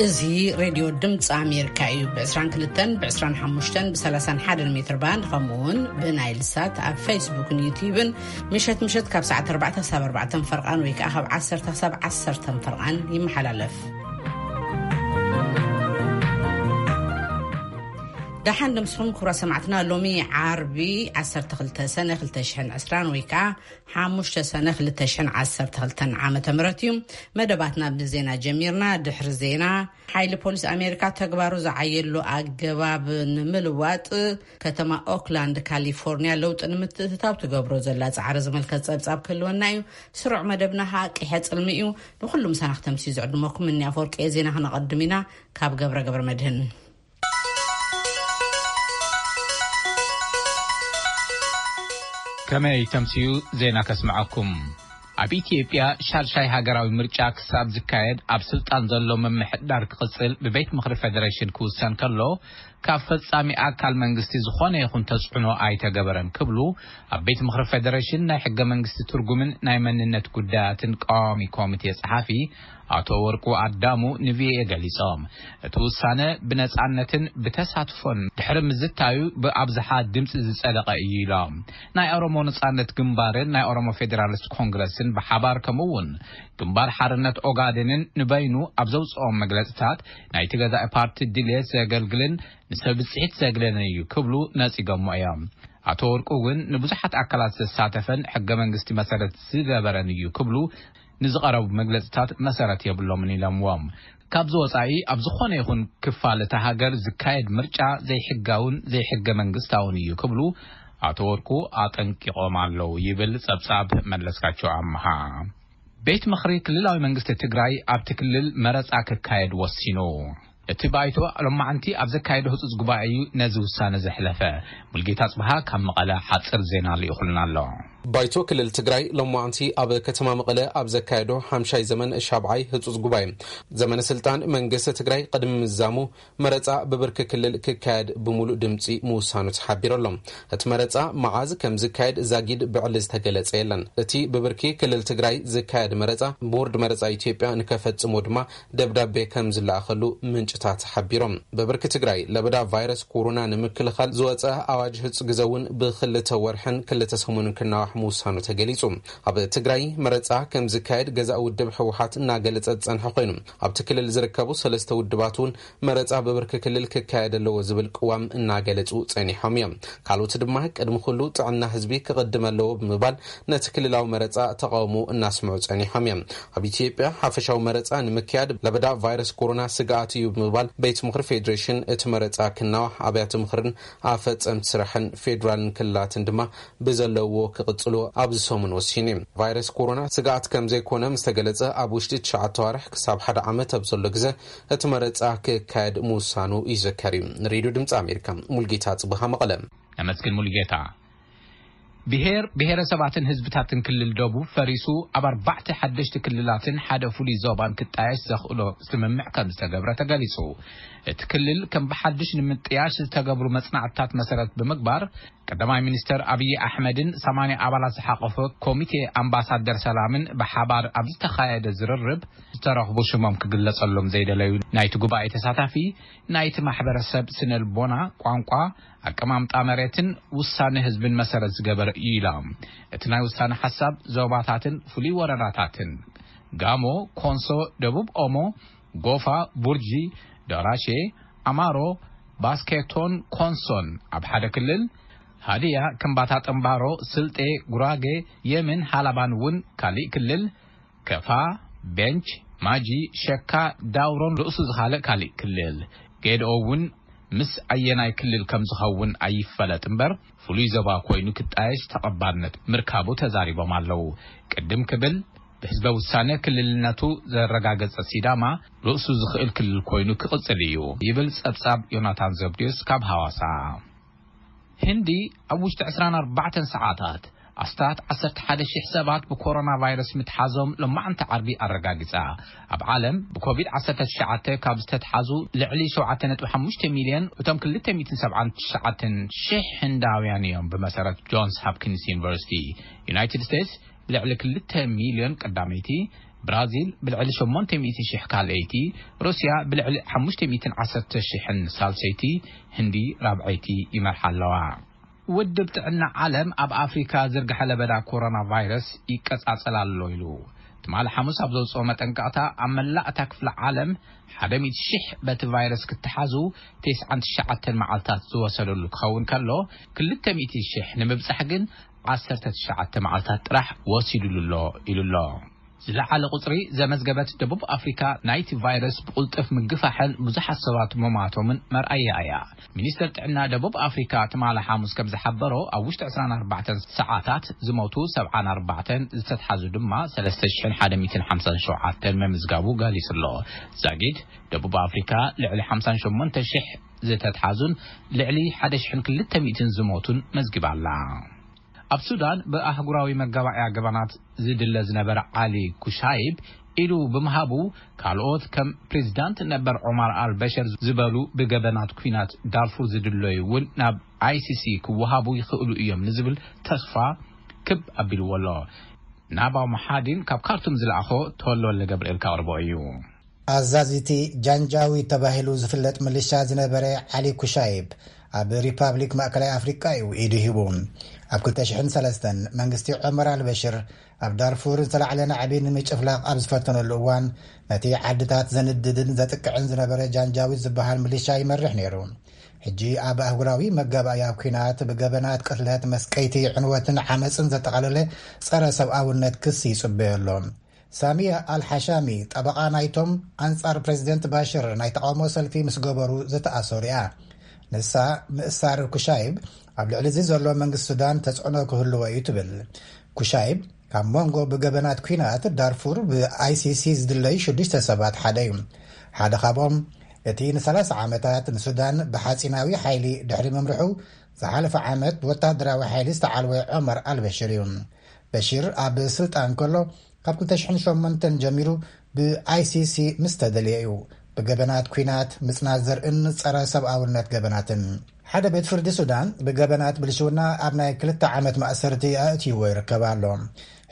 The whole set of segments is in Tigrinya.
እዚ ሬድዮ ድምፂ ኣሜሪካ እዩ። ብ22፣ ብ25፣ ብ31 ሜትር ባንድ፣ ከምኡ እውን ብናይል ሳት ኣብ ፌስቡክን ዩቲዩብን ምሸት ምሸት ካብ ሰዓት ኣርባዕተ ክሳብ ኣርባዕተ ፈርቓን ወይ ከዓ ካብ ዓሰርተ ክሳብ ዓሰርተ ፈርቓን ይመሓላለፍ። ደሓን ደምስኹም ክቡራት ሰማዕትና። ሎሚ ዓርቢ ዓሰርተ ክልተ ሰነ ክልተ ሽሕን ዕስራን ወይ ከዓ ሓሙሽተ ሰነ ክልተ ሽሕን ዓሰርተ ክልተን ዓመተ ምህረት እዩ። መደባትና ብዜና ጀሚርና። ድሕሪ ዜና፣ ሓይሊ ፖሊስ ኣሜሪካ ተግባሩ ዝዓየሉ ኣገባብ ንምልዋጥ ከተማ ኦክላንድ ካሊፎርኒያ ለውጢ ንምትእትታው ትገብሮ ዘላ ጻዕሪ ዝምልከት ጸብጻብ ክህልወና እዩ። ስሩዕ መደብና ኸኣ ቂሐ ጽልሚ እዩ። ንኹሉ ምሳና ክተምስዩ ዝዕድመኩም እኒ ኣፈወርቂ ዜና ክነቐድም ኢና። ካብ ገብረ ገብረ መድህን። ከመይ ተምስዩ ዜና ከስምዓኩም። ኣብ ኢትዮጵያ ሻድሻይ ሃገራዊ ምርጫ ክሳብ ዝካየድ ኣብ ስልጣን ዘሎ ምምሕዳር ክቕጽል ብቤት ምኽሪ ፌደሬሽን ክውሰን ከሎ፣ ካብ ፈጻሚ ኣካል መንግስቲ ዝኾነ ይኹን ተጽዕኖ ኣይተገበረን ክብሉ ኣብ ቤት ምኽሪ ፌደሬሽን ናይ ሕገ መንግስቲ ትርጉምን ናይ መንነት ጉዳያትን ቀዋሚ ኮሚቴ ጸሓፊ ኣቶ ወርቁ ኣዳሙ ንቪኦኤ ገሊጾም። እቲ ውሳነ ብነጻነትን ብተሳትፎን ድሕሪ ምዝታዩ ብኣብዝሓ ድምጺ ዝጸደቐ እዩ ኢሎም። ናይ ኦሮሞ ነጻነት ግንባርን ናይ ኦሮሞ ፌዴራሊስት ኮንግረስን ብሓባር፣ ከምኡ እውን ግንባር ሓርነት ኦጋዴንን ንበይኑ ኣብ ዘውጽኦም መግለጽታት፣ ናይቲ ገዛኢ ፓርቲ ድልየት ዘገልግልን ንሰብ ብጽሒት ዘግለልን እዩ ክብሉ ነጺጎሞ እዮም። ኣቶ ወርቁ እውን ንብዙሓት ኣካላት ዘሳተፈን ሕገ መንግስቲ መሰረት ዝገበረን እዩ ክብሉ ንዝቐረቡ መግለጽታት መሰረት የብሎምን ኢሎምዎም። ካብዚ ወጻኢ ኣብ ዝኾነ ይኹን ክፋል እታ ሃገር ዝካየድ ምርጫ ዘይሕጋውን ዘይሕገ መንግስታውን እዩ ክብሉ ኣቶ ወርቁ ኣጠንቂቖም ኣለዉ ይብል ጸብጻብ መለስካቸው ኣምሃ። ቤት ምኽሪ ክልላዊ መንግስቲ ትግራይ ኣብቲ ክልል መረጻ ክካየድ ወሲኑ። እቲ ባይቶ ሎማዕንቲ ኣብ ዘካየዶ ህጹጽ ጉባኤ እዩ ነዚ ውሳነ ዘሕለፈ። ሙልጌታ ጽብሃ ካብ መቐለ ሓጽር ዜና ልኢኹልና ኣሎ። ባይቶ ክልል ትግራይ ሎማዕንቲ ኣብ ከተማ መቐለ ኣብ ዘካየዶ ሓምሻይ ዘመን ሻብዓይ ህጹጽ ጉባኤ፣ ዘመነ ስልጣን መንግስቲ ትግራይ ቅድሚ ምዛሙ፣ መረጻ ብብርኪ ክልል ክካየድ ብምሉእ ድምጺ ምውሳኑ ተሓቢሩ ኣሎ። እቲ መረጻ መዓዝ ከም ዝካየድ ዛጊድ ብዕሊ ዝተገለጸ የለን። እቲ ብብርኪ ክልል ትግራይ ዝካየድ መረጻ፣ ቦርድ መረጻ ኢትዮጵያ ንከፈጽሞ ድማ ደብዳቤ ከም ዝለኣኸሉ ምንጭታት ሓቢሮም። ብብርኪ ትግራይ ለበዳ ቫይረስ ኮሮና ንምክልኻል ዝወጸ ኣዋጅ ህጹጽ ግዘ እውን ብክልተ ወርሕን ክልተ ሰሙንን ክናዋሕ ምውሳኑ ተገሊጹ። ኣብ ትግራይ መረጻ ከም ዝካየድ ገዛኢ ውድብ ህወሓት እናገለጸ ዝጸንሐ ኮይኑ፣ ኣብቲ ክልል ዝርከቡ ሰለስተ ውድባት እውን መረጻ ብብርኪ ክልል ክካየድ ኣለዎ ዝብል ቅዋም እናገለጹ ጸኒሖም እዮም። ካልኦት ድማ ቅድሚ ኩሉ ጥዕና ህዝቢ ክቕድም ኣለዎ ብምባል ነቲ ክልላዊ መረጻ ተቓውሞ እናስምዑ ጸኒሖም እዮም። ኣብ ኢትዮጵያ ሓፈሻዊ መረጻ ንምክያድ ለበዳ ቫይረስ ኮሮና ስግኣት እዩ ብምባል ቤት ምኽሪ ፌዴሬሽን እቲ መረጻ ክናዋሕ፣ ኣብያተ ምኽርን ኣፈጸምቲ ስራሕን ፌዴራልን ክልላትን ድማ ብዘለዎ ክቕጽሎ ኣብዚ ሰሙን ወሲኑ እዩ። ቫይረስ ኮሮና ስግኣት ከም ዘይኮነ ምስ ተገለጸ፣ ኣብ ውሽጢ ትሽዓተ ኣዋርሕ ክሳብ ሓደ ዓመት ኣብ ዘሎ ግዘ እቲ መረጻ ክካየድ ምውሳኑ ይዝከር እዩ። ንሬድዮ ድምጺ ኣሜሪካ፣ ሙልጌታ ጽብሃ፣ መቐለ። ነመስግን ሙልጌታ። ብሄር ብሄረሰባትን ህዝብታትን ክልል ደቡብ ፈሪሱ ኣብ ኣርባዕተ ሓደሽቲ ክልላትን ሓደ ፍሉይ ዞባን ክጣየሽ ዘኽእሎ ስምምዕ ከም ዝተገብረ ተገሊጹ። እቲ ክልል ከም ብሓድሽ ንምጥያሽ ዝተገብሩ መጽናዕትታት መሰረት ብምግባር፣ ቀዳማይ ሚኒስተር ኣብይ ኣሕመድን ሰማንያ ኣባላት ዝሓቆፈ ኮሚቴ ኣምባሳደር ሰላምን ብሓባር ኣብ ዝተኻየደ ዝርርብ ዝተረኽቡ ሽሞም ክግለጸሎም ዘይደለዩ ናይቲ ጉባኤ ተሳታፊ፣ ናይቲ ማሕበረሰብ ስነልቦና፣ ቋንቋ፣ ኣቀማምጣ መሬትን ውሳነ ህዝብን መሰረት ዝገበረ እዩ ኢሎም። እቲ ናይ ውሳነ ሓሳብ ዞባታትን ፍሉይ ወረዳታትን፣ ጋሞ፣ ኮንሶ፣ ደቡብ ኦሞ፣ ጎፋ፣ ቡርጂ፣ ደራሼ፣ ኣማሮ፣ ባስኬቶን ኮንሶን ኣብ ሓደ ክልል፣ ሃዲያ፣ ከምባታ፣ ጠምባሮ፣ ስልጤ፣ ጉራጌ፣ የምን፣ ሃላባን እውን ካሊእ ክልል፣ ከፋ፣ ቤንች፣ ማጂ፣ ሸካ፣ ዳውሮን ርእሱ ዝኻልእ ካሊእ ክልል፣ ጌድኦ እውን ምስ ኣየናይ ክልል ከም ዝኸውን ኣይፈለጥ እምበር፣ ፍሉይ ዞባ ኮይኑ ክጣየሽ ተቐባልነት ምርካቡ ተዛሪቦም ኣለዉ። ቅድም ክብል ብህዝበ ውሳነ ክልልነቱ ዘረጋገጸ ሲዳማ ርእሱ ዝኽእል ክልል ኮይኑ ክቕጽል እዩ ይብል ጸብጻብ ዮናታን ዘብድዮስ ካብ ሃዋሳ። ህንዲ ኣብ ውሽጢ ዕስራን ኣርባዕተን ሰዓታት ኣስታት ዓሰርተ ሓደ ሽሕ ሰባት ብኮሮና ቫይረስ ምትሓዞም ሎማዕንቲ ዓርቢ ኣረጋጊጻ። ኣብ ዓለም ብኮቪድ ዓሰርተ ትሽዓተ ካብ ዝተትሓዙ ልዕሊ ሸውዓተ ነጥቢ ሓሙሽተ ሚልዮን እቶም ክልተ ሚእትን ሰብዓን ትሽዓተን ሽሕ ህንዳውያን እዮም፣ ብመሰረት ጆንስ ሆፕኪንስ ዩኒቨርሲቲ። ዩናይትድ ስቴትስ ብልዕሊ ክልተ ሚልዮን ቀዳመይቲ፣ ብራዚል ብልዕሊ ሸሞንተ ሚእቲ ሽሕ ካልኣይቲ፣ ሩስያ ብልዕሊ ሓሙሽተ ሚእትን ዓሰርተ ሽሕን ሳልሰይቲ፣ ህንዲ ራብዐይቲ ይመርሓ ኣለዋ። ውድብ ጥዕና ዓለም ኣብ ኣፍሪካ ዝርግሐ ለበዳ ኮሮና ቫይረስ ይቀጻጸል ኣሎ ኢሉ። ትማሊ ሓሙስ ኣብ ዘውፅኦ መጠንቀቕታ፣ ኣብ መላእ እታ ክፍለ ዓለም ሓደ ሚእቲ ሽሕ በቲ ቫይረስ ክተሓዙ፣ ተስዓን ትሽዓተን መዓልታት ዝወሰደሉ ክኸውን ከሎ፣ ክልተ ሚእቲ ሽሕ ንምብጻሕ ግን ዓሰርተ ትሽዓተ መዓልታት ጥራሕ ወሲዱሉ ኣሎ ኢሉ ኣሎ። ዝለዓለ ቁጽሪ ዘመዝገበት ደቡብ ኣፍሪካ ናይቲ ቫይረስ ብቁልጥፍ ምግፋሕን ብዙሓት ሰባት መማቶምን መርኣያ እያ። ሚኒስተር ጥዕና ደቡብ ኣፍሪካ ትማሊ ሓሙስ ከም ዝሓበሮ፣ ኣብ ውሽጢ ዕስራን ኣርባዕተን ሰዓታት ዝሞቱ ሰብዓን ኣርባዕተን፣ ዝተትሓዙ ድማ ሰለስተ ሽሕን ሓደ ሚእትን ሓምሳን ሸውዓተን መምዝጋቡ ገሊጹ ኣሎ። ዛጊድ ደቡብ ኣፍሪካ ልዕሊ ሓምሳን ሸሞንተ ሽሕ ዝተትሓዙን ልዕሊ ሓደ ሽሕን ክልተ ሚእትን ዝሞቱን መዝጊባ ኣላ። ኣብ ሱዳን ብኣህጉራዊ መጋባእያ ገበናት ዝድለ ዝነበረ ዓሊ ኩሻይብ ኢዱ ብምሃቡ፣ ካልኦት ከም ፕሬዚዳንት ነበር ዑማር ኣልበሽር ዝበሉ ብገበናት ኲናት ዳርፉር ዝድለዩ እውን ናብ ኣይሲሲ ክወሃቡ ይኽእሉ እዮም ንዝብል ተስፋ ክብ ኣቢልዎ ኣሎ። ናባው መሓዲን ካብ ካርቱም ዝለኣኾ ተወልደ ወልደ ገብርኤል ከቕርቦ እዩ። ኣዛዚቲ ጃንጃዊድ ተባሂሉ ዝፍለጥ ምልሻ ዝነበረ ዓሊ ኩሻይብ፣ ኣብ ሪፓብሊክ ማእከላይ ኣፍሪቃ እዩ ኢዱ ሂቡ። ኣብ ክልተ ሽሕን ሰለስተን መንግስቲ ዑመር ኣልበሽር ኣብ ዳርፉር ዝተላዕለ ናዕቢ ንምጭፍላቕ ኣብ ዝፈተነሉ እዋን፣ ነቲ ዓድታት ዘንድድን ዘጥቅዕን ዝነበረ ጃንጃዊድ ዝበሃል ምልሻ ይመርሕ ነይሩ። ሕጂ ኣብ ኣህጉራዊ መጋባእያ ኲናት ብገበናት ቅትለት፣ መስቀይቲ፣ ዕንወትን ዓመጽን ዘጠቓለለ ጸረ ሰብኣውነት ክሲ ይጽበዮ ኣሎ። ሳሚያ ኣልሓሻሚ፣ ጠበቓ ናይቶም ኣንጻር ፕሬዚደንት ባሽር ናይ ተቓውሞ ሰልፊ ምስ ገበሩ ዝተኣሰሩ እያ። ንሳ፣ ምእሳር ኩሻይብ ኣብ ልዕሊ እዚ ዘሎ መንግስቲ ሱዳን ተጽዕኖ ክህልዎ እዩ ትብል። ኩሻይብ ካብ መንጎ ብገበናት ኲናት ዳርፉር ብኣይሲሲ ዝድለዩ ሽዱሽተ ሰባት ሓደ እዩ። ሓደ ካብኦም እቲ ንሰላሳ ዓመታት ንሱዳን ብሓጺናዊ ሓይሊ ድሕሪ ምምርሑ፣ ዝሓለፈ ዓመት ብወታደራዊ ሓይሊ ዝተዓልወ ዑመር ኣልበሽር እዩ። በሽር ኣብ ስልጣን ከሎ፣ ካብ ክልተ ሽሕን ሸሞንተን ጀሚሩ ብኣይሲሲ ምስ ተደልየ እዩ ብገበናት ኲናት፣ ምጽናት ዘርእን ጸረ ሰብኣውነት ገበናትን። ሓደ ቤት ፍርዲ ሱዳን ብገበናት ብልሽውና ኣብ ናይ ክልተ ዓመት ማእሰርቲ ኣእትይዎ ይርከብ ኣሎ።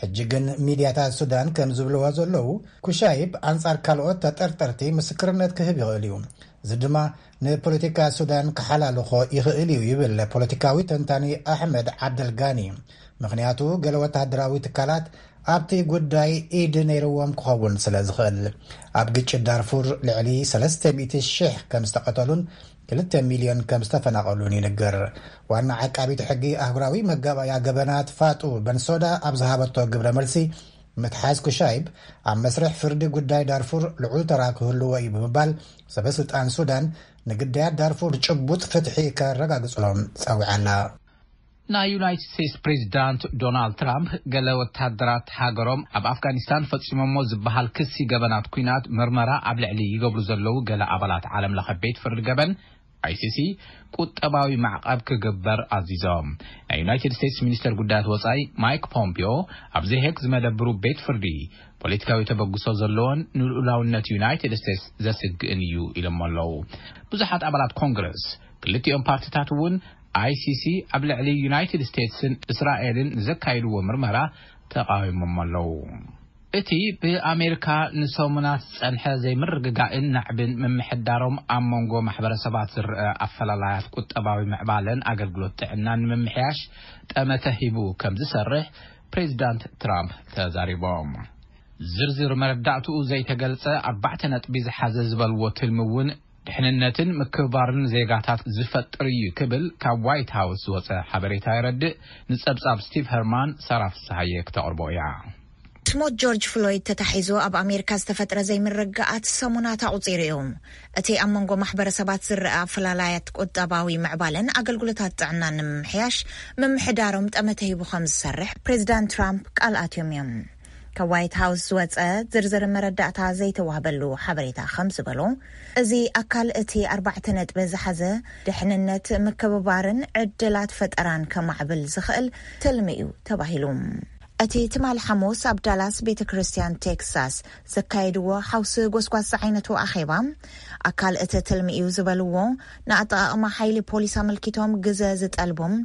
ሕጂ ግን ሚድያታት ሱዳን ከም ዝብልዎ ዘለዉ፣ ኩሻይብ ኣንጻር ካልኦት ተጠርጠርቲ ምስክርነት ክህብ ይኽእል እዩ። እዚ ድማ ንፖለቲካ ሱዳን ክሓላልኾ ይኽእል እዩ ይብል ፖለቲካዊ ተንታኒ ኣሕመድ ዓብደልጋኒ። ምኽንያቱ፣ ገለ ወታደራዊ ትካላት ኣብቲ ጉዳይ ኢድ ነይርዎም ክኸውን ስለ ዝኽእል። ኣብ ግጭት ዳርፉር ልዕሊ ሰለስተ ሚእቲ ሽሕ ከም ዝተቐተሉን ክልተ ሚልዮን ከም ዝተፈናቐሉን ይንገር። ዋና ዓቃቢት ሕጊ ኣህጉራዊ መጋባእያ ገበናት ፋጡ በንሶዳ ኣብ ዝሃበቶ ግብረ መልሲ፣ ምትሓዝ ኩሻይብ ኣብ መስርሕ ፍርዲ ጉዳይ ዳርፉር ልዑል ተራ ክህልዎ እዩ ብምባል፣ ሰበ ስልጣን ሱዳን ንግዳያት ዳርፉር ጭቡጥ ፍትሒ ከረጋግጽሎም ጸዊዓ ኣላ። ናይ ዩናይትድ ስቴትስ ፕሬዚዳንት ዶናልድ ትራምፕ፣ ገለ ወታደራት ሃገሮም ኣብ ኣፍጋኒስታን ፈጺሞሞ ዝበሃል ክሲ ገበናት ኲናት ምርመራ ኣብ ልዕሊ ይገብሩ ዘለዉ ገለ ኣባላት ዓለም ለኸ ቤት ፍርዲ ገበን፣ ኣይሲሲ፣ ቁጠባዊ ማዕቐብ ክግበር ኣዚዞም። ናይ ዩናይትድ ስቴትስ ሚኒስተር ጉዳያት ወጻኢ ማይክ ፖምፒዮ፣ ኣብ ዘሄግ ዝመደብሩ ቤት ፍርዲ፣ ፖለቲካዊ ተበግሶ ዘለዎን ንልኡላውነት ዩናይትድ ስቴትስ ዘስግእን እዩ ኢሎም ኣለዉ። ብዙሓት ኣባላት ኮንግረስ ክልቲኦም ፓርቲታት እውን፣ ኣይሲሲ ኣብ ልዕሊ ዩናይትድ ስቴትስን እስራኤልን ንዘካይድዎ ምርመራ ተቓዊሞም ኣለዉ። እቲ ብኣሜሪካ ንሰሙናት ዝጸንሐ ዘይምርግጋእን ናዕብን ምምሕዳሮም፣ ኣብ መንጎ ማሕበረሰባት ዝረአ ኣፈላላያት ቁጠባዊ ምዕባለን ኣገልግሎት ጥዕናን ንምምሕያሽ ጠመተ ሂቡ ከም ዝሰርሕ ፕሬዚዳንት ትራምፕ ተዛሪቦም። ዝርዝር መረዳእትኡ ዘይተገልጸ ኣርባዕተ ነጥቢ ዝሓዘ ዝበልዎ ትልሚ እውን፣ ድሕንነትን ምክብባርን ዜጋታት ዝፈጥር እዩ ክብል ካብ ዋይት ሃውስ ዝወጸ ሓበሬታ የረድእ። ንጸብጻብ ስቲቭ ሄርማን፣ ሳራ ፍስሃየ ክተቕርቦ እያ። ሞት ጆርጅ ፍሎይድ ተታሒዙ ኣብ ኣሜሪካ ዝተፈጥረ ዘይምርግጋኣት ሰሙናት ኣቑጺሩ እዩ። እቲ ኣብ መንጎ ማሕበረሰባት ዝረኣ ኣፈላላያት ቁጠባዊ ምዕባለን ኣገልግሎታት ጥዕናን ንምምሕያሽ ምምሕዳሮም ጠመተ ሂቡ ከም ዝሰርሕ ፕሬዚዳንት ትራምፕ ቃል ኣትዮም እዮም። ካብ ዋይት ሃውስ ዝወጸ ዝርዝር መረዳእታ ዘይተዋህበሉ ሓበሬታ ከም ዝበሎ፣ እዚ ኣካል እቲ ኣርባዕተ ነጥቢ ዝሓዘ ድሕንነት፣ ምክብባርን ዕድላት ፈጠራን ከማዕብል ዝኽእል ትልሚ እዩ ተባሂሉ። እቲ ትማሊ ሓሙስ ኣብ ዳላስ ቤተ ክርስቲያን ቴክሳስ ዘካየድዎ ሓውሲ ጎስጓስ ዝዓይነቱ ኣኼባ፣ ኣካል እቲ ትልሚ እዩ ዝበልዎ፣ ንኣጠቓቕማ ሓይሊ ፖሊስ ኣመልኪቶም ግዘ ዝጠልቦም፣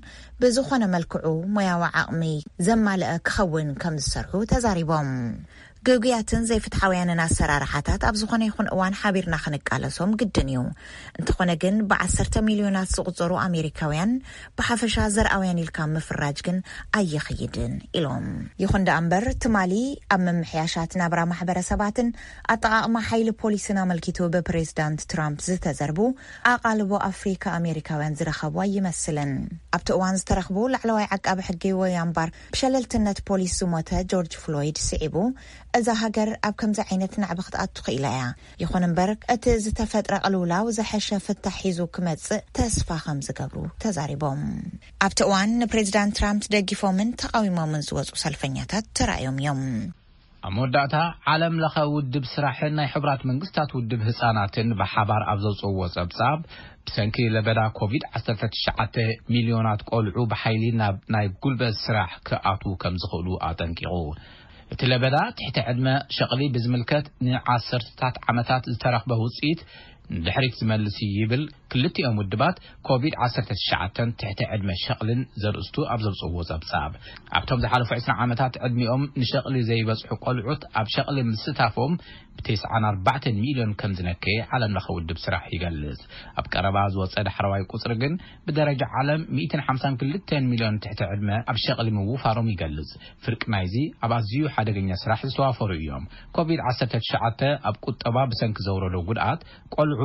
ብዝኾነ መልክዑ ሞያዊ ዓቕሚ ዘማልአ ክኸውን ከም ዝሰርሑ ተዛሪቦም። ግጉያትን ዘይፍትሓውያንን ኣሰራርሓታት ኣብ ዝኾነ ይኹን እዋን ሓቢርና ክንቃለሶም ግድን እዩ። እንተኾነ ግን፣ ብዓሰርተ ሚልዮናት ዝቑጸሩ ኣሜሪካውያን፣ ብሓፈሻ ዘርኣውያን ኢልካ ምፍራጅ ግን ኣየኽይድን ኢሎም። ይኹን ደኣ እምበር፣ ትማሊ ኣብ ምምሕያሻት ናብራ ማሕበረሰባትን ኣጠቓቕማ ሓይሊ ፖሊስን ኣመልኪቱ ብፕሬዝዳንት ትራምፕ ዝተዘርቡ ኣቓልቦ ኣፍሪካ ኣሜሪካውያን ዝረኸቡ ኣይመስልን። ኣብቲ እዋን ዝተረኽቡ ላዕለዋይ ዓቃቢ ሕጊ ወያምባር ብሸለልትነት ፖሊስ ዝሞተ ጆርጅ ፍሎይድ ስዒቡ፣ እዛ ሃገር ኣብ ከምዚ ዓይነት ናዕቢ ክትኣቱ ክኢላ እያ። ይኹን እምበር፣ እቲ ዝተፈጥረ ቅልውላው ዝሐሸ ፍታሕ ሒዙ ክመጽእ ተስፋ ከም ዝገብሩ ተዛሪቦም። ኣብቲ እዋን ንፕሬዚዳንት ትራምፕ ደጊፎምን ተቃዊሞምን ዝወጹ ሰልፈኛታት ተራእዮም እዮም። ኣብ መወዳእታ፣ ዓለም ለኸ ውድብ ስራሕን ናይ ሕቡራት መንግስታት ውድብ ህፃናትን ብሓባር ኣብ ዘውፅእዎ ጸብጻብ፣ ብሰንኪ ለበዳ ኮቪድ ዓሰርተ ትሽዓተ ሚልዮናት ቆልዑ ብሓይሊ ናብ ናይ ጉልበት ስራሕ ክኣትዉ ከም ዝኽእሉ ኣጠንቂቑ። እቲ ለበዳ ትሕቲ ዕድመ ሸቕሊ ብዝምልከት ንዓሰርተታት ዓመታት ዝተረኽበ ውፅኢት ንድሕሪት ዝመልስ እዩ ይብል። ክልቲኦም ውድባት ኮቪድ ዓሰርተ ትሽዓተ ትሕቲ ዕድመ ሸቕልን ዘርእስቱ ኣብ ዘውፅእዎ ጸብጻብ፣ ኣብቶም ዝሓለፉ ዕስራ ዓመታት ዕድሚኦም ንሸቕሊ ዘይበጽሑ ቆልዑት ኣብ ሸቕሊ ምስታፎም ብተስዓን ኣርባዕተን ሚልዮን ከም ዝነከየ ዓለም ለኸ ውድብ ስራሕ ይገልጽ። ኣብ ቀረባ ዝወጸ ዳሕረዋይ ቁጽሪ ግን ብደረጃ ዓለም ሚእትን ሓምሳን ክልተን ሚልዮን ትሕቲ ዕድመ ኣብ ሸቕሊ ምውፋሮም ይገልጽ። ፍርቂ ናይዚ ኣብ ኣዝዩ ሓደገኛ ስራሕ ዝተዋፈሩ እዮም። ኮቪድ ዓሰርተ ትሽዓተ ኣብ ቁጠባ ብሰንኪ ዘውረዶ ጉድኣት ቆልዑ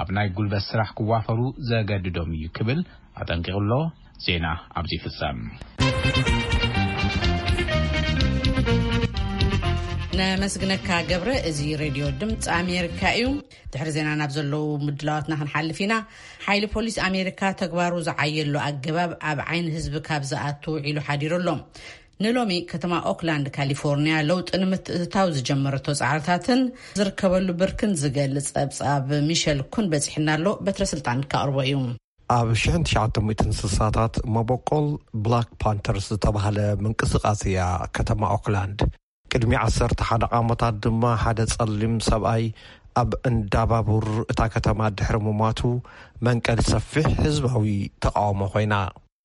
ኣብ ናይ ጉልበት ስራሕ ክዋፈሩ ዘገድዶም እዩ ክብል ኣጠንቂቑ ኣሎ። ዜና ኣብዚ ይፍጸም። ነመስግነካ ገብረ። እዚ ሬድዮ ድምፂ ኣሜሪካ እዩ። ድሕሪ ዜና ናብ ዘለዉ ምድላዋትና ክንሓልፍ ኢና። ሓይሊ ፖሊስ ኣሜሪካ ተግባሩ ዝዓየሉ ኣገባብ ኣብ ዓይኒ ህዝቢ ካብ ዝኣቱ ውዒሉ ሓዲሩ ኣሎ። ንሎሚ ከተማ ኦክላንድ ካሊፎርኒያ ለውጢ ንምትእትታው ዝጀመረቶ ጻዕርታትን ዝርከበሉ ብርክን ዝገልጽ ጸብጻብ ሚሸል ኩን በጺሕና ኣሎ። በትረ ስልጣን ከቕርቦ እዩ። ኣብ ሽሕን ትሽዓተ ሚእትን ስሳታት መበቆል ብላክ ፓንተርስ ዝተባህለ ምንቅስቃስ እያ ከተማ ኦክላንድ። ቅድሚ ዓሰርተ ሓደ ዓመታት ድማ ሓደ ጸሊም ሰብኣይ ኣብ እንዳባቡር እታ ከተማ ድሕሪ ምሟቱ መንቀሊ ሰፊሕ ህዝባዊ ተቃውሞ ኮይና።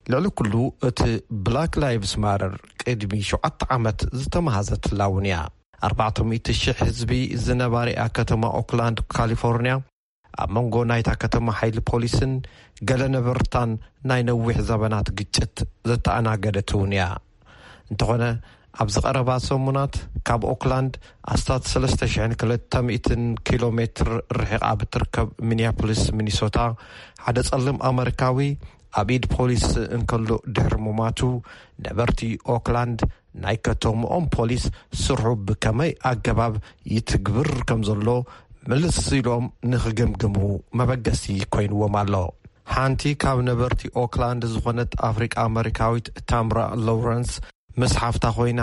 ልዕሊ ኩሉ እቲ ብላክ ላይቭስ ማተር ቅድሚ ሸውዓተ ዓመት ዝተመሃዘትላ እውን እያ። ኣርባዕተ ሚእቲ ሽሕ ህዝቢ ዝነባሪኣ ከተማ ኦክላንድ ካሊፎርኒያ ኣብ መንጎ ናይታ ከተማ ሓይሊ ፖሊስን ገለ ነበርታን ናይ ነዊሕ ዘበናት ግጭት ዘተኣናገደት እውን እያ። እንተኾነ ኣብዚ ቀረባ ሰሙናት ካብ ኦክላንድ ኣስታት ሰለስተ ሽሕን ክልተ ሚእትን ኪሎ ሜትር ርሒቓ ብትርከብ ሚኒያፖሊስ ሚኒሶታ ሓደ ጸሊም ኣመሪካዊ ኣብ ኢድ ፖሊስ እንከሎ ድሕሪ ምማቱ ነበርቲ ኦክላንድ ናይ ከተምኦም ፖሊስ ስርሑ ብከመይ ኣገባብ ይትግብር ከም ዘሎ ምልስ ኢሎም ንኽግምግሙ መበገሲ ኮይንዎም ኣሎ። ሓንቲ ካብ ነበርቲ ኦክላንድ ዝኾነት ኣፍሪቃ ኣመሪካዊት ታምራ ሎረንስ ምስ ሓፍታ ኮይና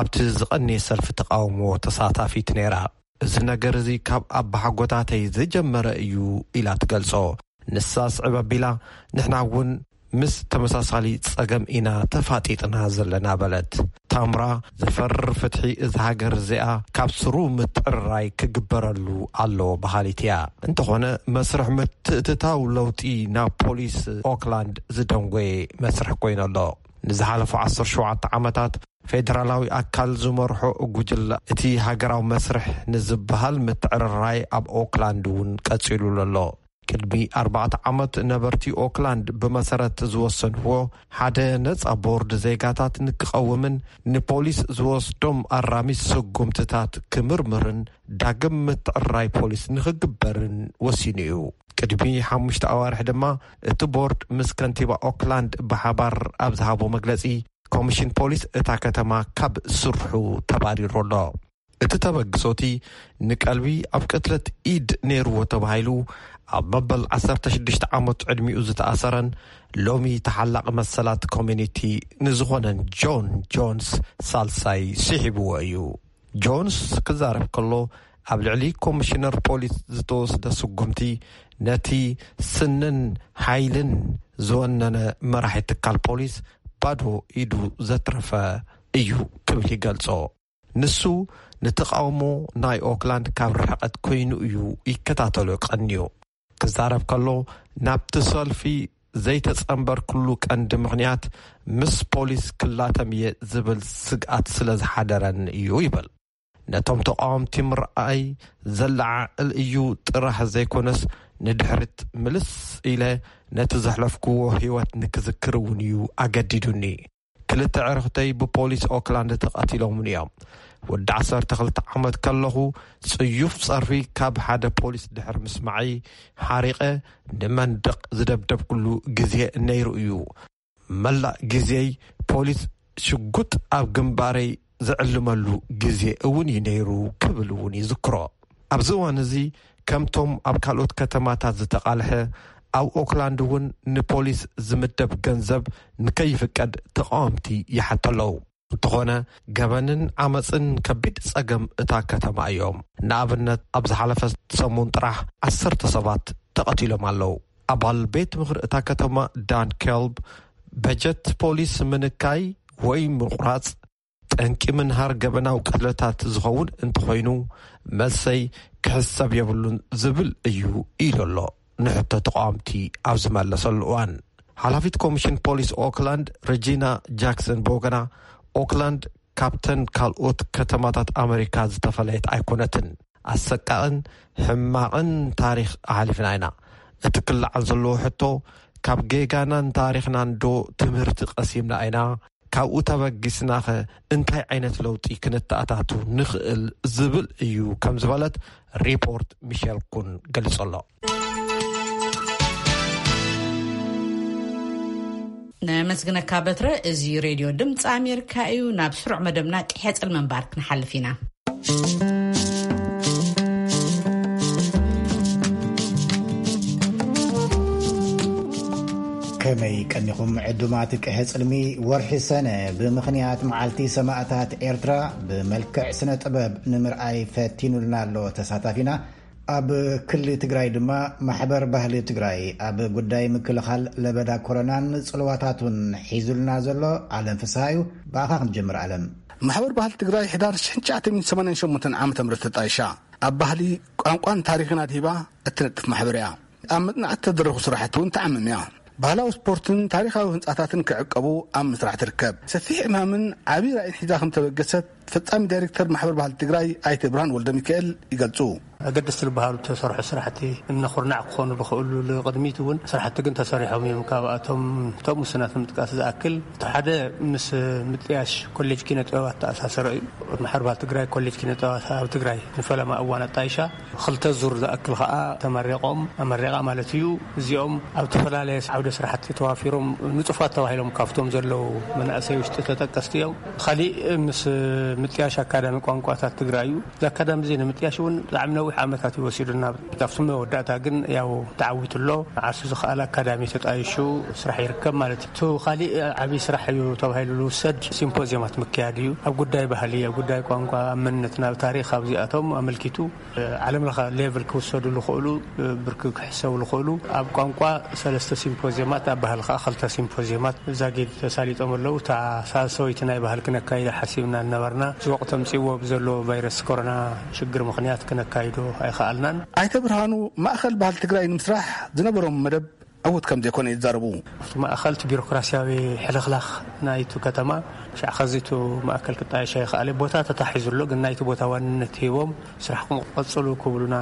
ኣብቲ ዝቐንየ ሰልፊ ተቃውሞ ተሳታፊት ነይራ። እዚ ነገር እዚ ካብ ኣባሓጎታተይ ዝጀመረ እዩ ኢላ ትገልጾ። ንሳ ስዕብ ኣቢላ፣ ንሕና እውን ምስ ተመሳሳሊ ጸገም ኢና ተፋጢጥና ዘለና በለት። ታምራ፣ ዝፈርር ፍትሒ እዛ ሃገር እዚኣ ካብ ስሩ ምትዕርራይ ክግበረሉ ኣለዎ በሃሊት እያ። እንተኾነ መስርሕ ምትእትታው ለውጢ ናብ ፖሊስ ኦክላንድ ዝደንጎየ መስርሕ ኮይኑ ኣሎ። ንዝሓለፉ ዓሰርተ ሸውዓተ ዓመታት ፌደራላዊ ኣካል ዝመርሖ ጉጅለ እቲ ሃገራዊ መስርሕ ንዝበሃል ምትዕርራይ ኣብ ኦክላንድ እውን ቀጺሉሉ ኣሎ። ቅድሚ ኣርባዕተ ዓመት ነበርቲ ኦክላንድ ብመሰረት ዝወሰንዎ ሓደ ነጻ ቦርድ ዜጋታት ንክቐውምን ንፖሊስ ዝወስዶም ኣራሚ ስጉምትታት ክምርምርን ዳግም ምትዕርራይ ፖሊስ ንክግበርን ወሲኑ እዩ። ቅድሚ ሓሙሽተ ኣዋርሕ ድማ እቲ ቦርድ ምስ ከንቲባ ኦክላንድ ብሓባር ኣብ ዝሃቦ መግለጺ፣ ኮሚሽን ፖሊስ እታ ከተማ ካብ ስርሑ ተባሪሩ ኣሎ። እቲ ተበግሶ እቲ ንቀልቢ ኣብ ቅትለት ኢድ ነይርዎ ተባሂሉ ኣብ መበል ዓሰርተ ሽዱሽተ ዓመት ዕድሚኡ ዝተኣሰረን ሎሚ ተሓላቒ መሰላት ኮሚኒቲ ንዝኾነን ጆን ጆንስ ሳልሳይ ስሒብዎ እዩ። ጆንስ ክዛረብ ከሎ፣ ኣብ ልዕሊ ኮሚሽነር ፖሊስ ዝተወስደ ስጉምቲ ነቲ ስንን ሓይልን ዝወነነ መራሒ ትካል ፖሊስ ባዶ ኢዱ ዘትረፈ እዩ ክብል ይገልጾ። ንሱ ንተቓውሞ ናይ ኦክላንድ ካብ ርሕቐት ኮይኑ እዩ ይከታተሎ ቀንዩ። ክዛረብ ከሎ፣ ናብቲ ሰልፊ ዘይተጸንበርኩሉ ቀንዲ ምኽንያት ምስ ፖሊስ ክላተም እየ ዝብል ስግኣት ስለ ዝሓደረኒ እዩ ይብል። ነቶም ተቓወምቲ ምርኣይ ዘለዓዕል እዩ ጥራሕ ዘይኮነስ፣ ንድሕሪት ምልስ ኢለ ነቲ ዘሕለፍክዎ ህይወት ንክዝክር እውን እዩ ኣገዲዱኒ። ክልተ ዕርኽተይ ብፖሊስ ኦክላንድ ተቐቲሎምኒ እዮም። ወዲ ዓሰርተ ክልተ ዓመት ከለኹ ጽዩፍ ጸርፊ ካብ ሓደ ፖሊስ ድሕሪ ምስማዐይ ሓሪቐ ንመንደቕ ዝደብደብኩሉ ግዜ ነይሩ እዩ። መላእ ግዜይ ፖሊስ ሽጉጥ ኣብ ግንባረይ ዝዕልመሉ ግዜ እውን እዩ ነይሩ ክብል እውን ይዝክሮ። ኣብዚ እዋን እዚ ከምቶም ኣብ ካልኦት ከተማታት ዝተቓልሐ ኣብ ኦክላንድ እውን ንፖሊስ ዝምደብ ገንዘብ ንከይፍቀድ ተቓወምቲ ይሓተለዉ። እንተኾነ ገበንን ዓመፅን ከቢድ ፀገም እታ ከተማ እዮም። ንኣብነት ኣብ ዝሓለፈ ሰሙን ጥራሕ ዓሰርተ ሰባት ተቐቲሎም ኣለዉ። ኣባል ቤት ምኽሪ እታ ከተማ ዳን ኬልብ በጀት ፖሊስ ምንካይ ወይ ምቑራፅ ጠንቂ ምንሃር ገበናዊ ቅትለታት ዝኸውን እንተኾይኑ መልሰይ ክሕሰብ የብሉን ዝብል እዩ ኢሉ ኣሎ። ንሕቶ ተቃወምቲ ኣብ ዝመለሰሉ እዋን ሓላፊት ኮሚሽን ፖሊስ ኦክላንድ ሬጂና ጃክሰን ብወገና ኦክላንድ ካብተን ካልኦት ከተማታት ኣመሪካ ዝተፈለየት ኣይኮነትን። ኣሰቃቕን ሕማቕን ታሪኽ ኣሕሊፍና ኢና። እቲ ክለዓል ዘለዎ ሕቶ ካብ ጌጋናን ታሪኽናን ዶ ትምህርቲ ቀሲምና ኢና? ካብኡ ተበጊስናኸ እንታይ ዓይነት ለውጢ ክነተኣታቱ ንኽእል ዝብል እዩ ከም ዝበለት ሪፖርት ሚሸል ኩን ገሊጹ ኣሎ። ነመስግነካ በትረ። እዚ ሬድዮ ድምፂ ኣሜሪካ እዩ። ናብ ስሩዕ መደብና ቅሐ ጽልሚ ምንባር ክንሓልፍ ኢና። ከመይ ቀኒኹም ዕዱማት ቅሐ ጽልሚ? ወርሒ ሰነ ብምኽንያት መዓልቲ ሰማእታት ኤርትራ ብመልክዕ ስነ ጥበብ ንምርኣይ ፈቲኑልና ኣሎ ተሳታፊና። ኣብ ክሊ ትግራይ ድማ ማሕበር ባህሊ ትግራይ ኣብ ጉዳይ ምክልኻል ለበዳ ኮሮናን ጽልዋታቱን ሒዙልና ዘሎ ኣለም ፍስሃ እዩ። ብኣኻ ክንጀምር ኣለም። ማሕበር ባህሊ ትግራይ ሕዳር ሽሕን ትሽዓተ ሚእትን ሰማንያን ሸሞንተን ዓመተ ምህረት ተጣይሻ ኣብ ባህሊ፣ ቋንቋን ታሪኽን ኣድሂባ እትነጥፍ ማሕበር እያ። ኣብ መጽናዕቲ ተደረኹ ስራሕቲ እውን ትዓምም እያ። ባህላዊ ስፖርትን ታሪኻዊ ህንጻታትን ክዕቀቡ ኣብ ምስራሕ ትርከብ። ሰፊሕ ዕማምን ዓብዪ ራእይን ሒዛ ከም ተበገሰት ፈጻሚ ዳይሬክተር ማሕበር ባህሊ ትግራይ ኣይተ ብርሃን ወልደ ሚካኤል ይገልጹ። ኣገደስቲ ዝበሃሉ ተሰርሑ ስራሕቲ እምነ ኩርናዕ ክኾኑ ዝኽእሉ ንቕድሚት እውን ስራሕቲ ግን ተሰሪሖም እዮም። ካብኣቶም እቶም ውሱናት ንምጥቃስ ዝኣክል፣ እቲ ሓደ ምስ ምጥያሽ ኮሌጅ ኪነ ጥበብ ኣተኣሳሰረ እዩ። ማሕበር ባህሊ ትግራይ ኮሌጅ ኪነ ጥበባት ኣብ ትግራይ ንፈለማ እዋን ኣጣይሻ፣ ክልተ ዙር ዝኣክል ከዓ ተመሪቖም፣ ኣመሪቓ ማለት እዩ። እዚኦም ኣብ ዝተፈላለየ ዓውደ ስራሕቲ ተዋፊሮም ንጹፋት ተባሂሎም ካብቶም ዘለዉ መናእሰይ ውሽጢ ተጠቀስቲ እዮም። ካሊእ ምስ ምጥያሽ ኣካዳሚ ቋንቋታት ትግራይ እዩ። እዚ ኣካዳሚ እዚ ንምጥያሽ እውን ብጣዕሚ ነዊሕ ዓመታት እዩ ወሲዱና። ካብቲ መወዳእታ ግን ያው ተዓዊቱ ኣሎ። ዓርሱ ዝኸኣለ ኣካዳሚ ተጣይሹ ስራሕ ይርከብ ማለት እዩ። እቲ ካሊእ ዓብዪ ስራሕ እዩ ተባሂሉ ዝውሰድ ሲምፖዚየማት ምክያድ እዩ። ኣብ ጉዳይ ባህሊ፣ ኣብ ጉዳይ ቋንቋ፣ ኣብ መንነትና፣ ኣብ ታሪኽ፣ ኣብዚኣቶም ኣመልኪቱ ዓለም ለኸ ሌቭል ክውሰዱ ዝኽእሉ፣ ብርኪ ክሕሰቡ ዝኽእሉ ኣብ ቋንቋ ሰለስተ ሲምፖዚየማት፣ ኣብ ባህሊ ከኣ ክልተ ሲምፖዚየማት ዛጊድ ተሳሊጦም ኣለዉ። እታ ሳልሰወይቲ ናይ ባህሊ ክነካይዳ ሓሲብና እናበርና፣ እዚ ወቕቲ ኣምጺእዎ ብዘሎ ቫይረስ ኮሮና ሽግር ምኽንያት ክነካይዶ ኣይኸኣልናን። ኣይተ ብርሃኑ ማእኸል ባህሊ ትግራይ ንምስራሕ ዝነበሮም መደብ ዕዉት ከም ዘይኮነ ይዛረቡ። ኣብቲ ማእኸል እቲ ቢሮክራሲያዊ ሕልኽላኽ ናይቲ ከተማ፣ ሻዕ ኸዚ እቲ ማእከል ክጣየሽ ኣይኸኣለ። ቦታ ተታሒዙ ኣሎ፣ ግን ናይቲ ቦታ ዋንነት ሂቦም ስራሕ ክቕጽሉ ክብሉና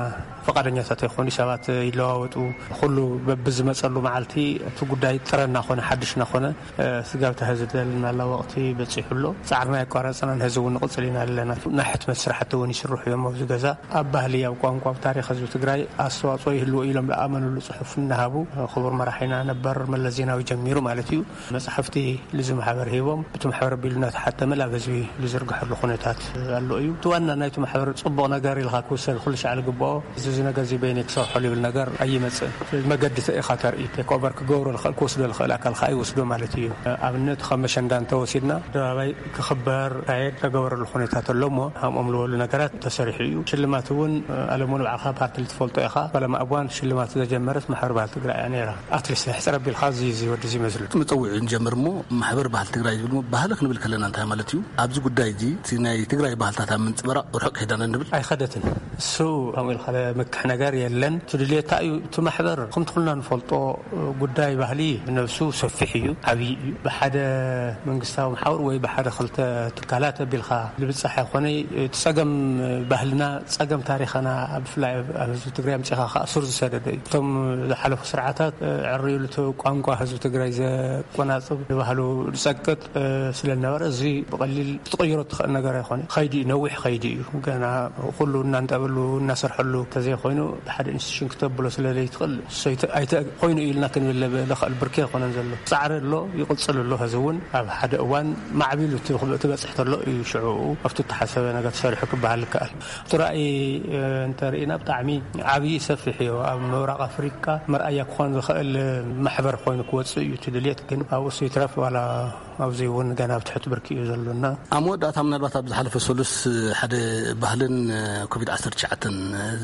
ፈቓደኛታት ኣይኮኑ። ሰባት ይለዋወጡ። ኩሉ በብዝመጸሉ መዓልቲ እቲ ጉዳይ ጥረ እናኾነ፣ ሓድሽ እናኾነ፣ እ፣ ስጋብ እቲ ሕዚ ዘለና ወቕቲ በጺሑ ኣሎ። ጻዕርና ኣይቋረጽናን፣ ሕዚ እውን ንቕጽል ኢና ኣለና። ናይ ሕትመት ስራሕቲ እውን ይስርሑ እዮም ኣብዚ ገዛ። ኣብ ባህሊ፣ ኣብ ቋንቋ፣ ኣብ ታሪኽ ህዝቢ ትግራይ ኣስተዋጽኦ ይህልዎ ኢሎም ዝኣመንሉ ጽሑፍ እናሃቡ፣ ክቡር መራሒና ነበር መለስ ዜናዊ ጀሚሩ ማለት እዩ፣ መጻሕፍቲ ልዚ ማሕበር ሂቦም፣ እቲ ማሕበር ኣቢሉ እናተሓተመ ናብ ህዝቢ ዝዝርግሐሉ ኩነታት ኣሎ እዩ። እቲ ዋና ናይቲ ማሕበር ጽቡቕ ነገር ኢልካ ክውሰድ ኩሉ ሻዕ ዝግብኦ፣ እዚ፣ እዚ ነገር እዚ በይነይ ክሰርሖ ዝብል ነገር ኣይመጽእን። መገዲ ኢኻ ተርኢ፣ ቴክ ኦቨር ክገብሮ ዝኽእል፣ ክወስዶ ዝኽእል ኣካል ከኣ ይወስዶ ማለት እዩ። ኣብነት ከም መሸንዳ እንተወሲድና፣ ኣደባባይ ክኽበር፣ ካየድ ተገበረሉ ኩነታት ኣሎ እሞ፣ ከምኦም ዝበሉ ነገራት ተሰሪሑ እዩ። ሽልማት እውን፣ ኣለሙ ንባዕኻ ፓርቲ ልትፈልጦ ኢኻ። ፈለማ እዋን ሽልማት ዘጀመረት ማሕበር ባህሊ ትግራይ እያ ነይራ። ኣትሊስት ሕፅር ኣቢልካ እዚ፣ እዚ ወዲ እዚ መስሉ። እቲ መፀውዒ ንጀምር እሞ፣ ማሕበር ባህሊ ትግራይ ዝብል እሞ፣ ባህሊ ክንብል ከለና እንታይ ማለት እዩ? ኣብዚ ጉዳይ እዚ እቲ ናይ ትግራይ ባህልታት ኣብ ምንፅበራቕ ርሑቕ ከይዳና ንብል። ኣይኸደትን። እሱ ከምኡ ኢልካ ለምክሕ ነገር የለን። እቲ ድልየታ እዩ። እቲ ማሕበር ከምቲ ኩልና ንፈልጦ ጉዳይ ባህሊ ነብሱ ሰፊሕ እዩ፣ ዓብዪ እዩ። ብሓደ መንግስታዊ መሓውር ወይ ብሓደ ክልተ ትካላት ኣቢልካ ልብፃሕ ኣይኮነ። እቲ ፀገም ባህልና፣ ፀገም ታሪኽና፣ ብፍላይ ኣብ ህዝቢ ትግራይ ኣምፂኻ ከዓ ሱር ዝሰደደ እዩ። እቶም ዝሓለፉ ስርዓታት ዕርዩሉ እቲ ቋንቋ ህዝቢ ትግራይ ዘቆናፅብ፣ ንባህሉ ዝፀቅጥ ስለዝነበረ፣ እዚ ብቐሊል ክትቕይሮ ትኽእል ነገር ኣይኮነ። ኸይዲ እዩ፣ ነዊሕ ኸይዲ እዩ። ገና ኩሉ እናንጠበሉ እናሰርሐሉ ተዘይኮይኑ፣ ብሓደ ኢንስቲትዩሽን ክተብሎ ስለዘይትኽእል፣ ኮይኑ ኢልና ክንብል ለኽእል ብርኪ ኣይኮነን ዘሎ። ፃዕሪ ኣሎ፣ ይቕፅል ኣሎ። ሕዚ እውን ኣብ ሓደ እዋን ማዕቢሉ ትበፅሕ ተሎ እዩ ሽዑ ኣብቲ እተሓሰበ ነገር ተሰሪሑ ክበሃል ይከኣል። እቲ ራእይ እንተርኢና ብጣዕሚ ዓብዪ ሰፊሕ እዩ። ኣብ ምብራቕ ኣፍሪካ መርኣያ ክኾን ዝኽእል ማሕበር ኮይኑ ክወፅእ እዩ እቲ ድልየት። ግን ኣብኡ ይትረፍ ዋላ ኣብዚ እውን ገና ኣብ ትሕቲ ብርኪ እዩ ዘሎና። ኣብ መወዳእታ ምናልባት ኣብ ዝሓለፈ ሰሉስ ሓደ ባህልን ኮቪድ ዓሰርተ ትሽዓተ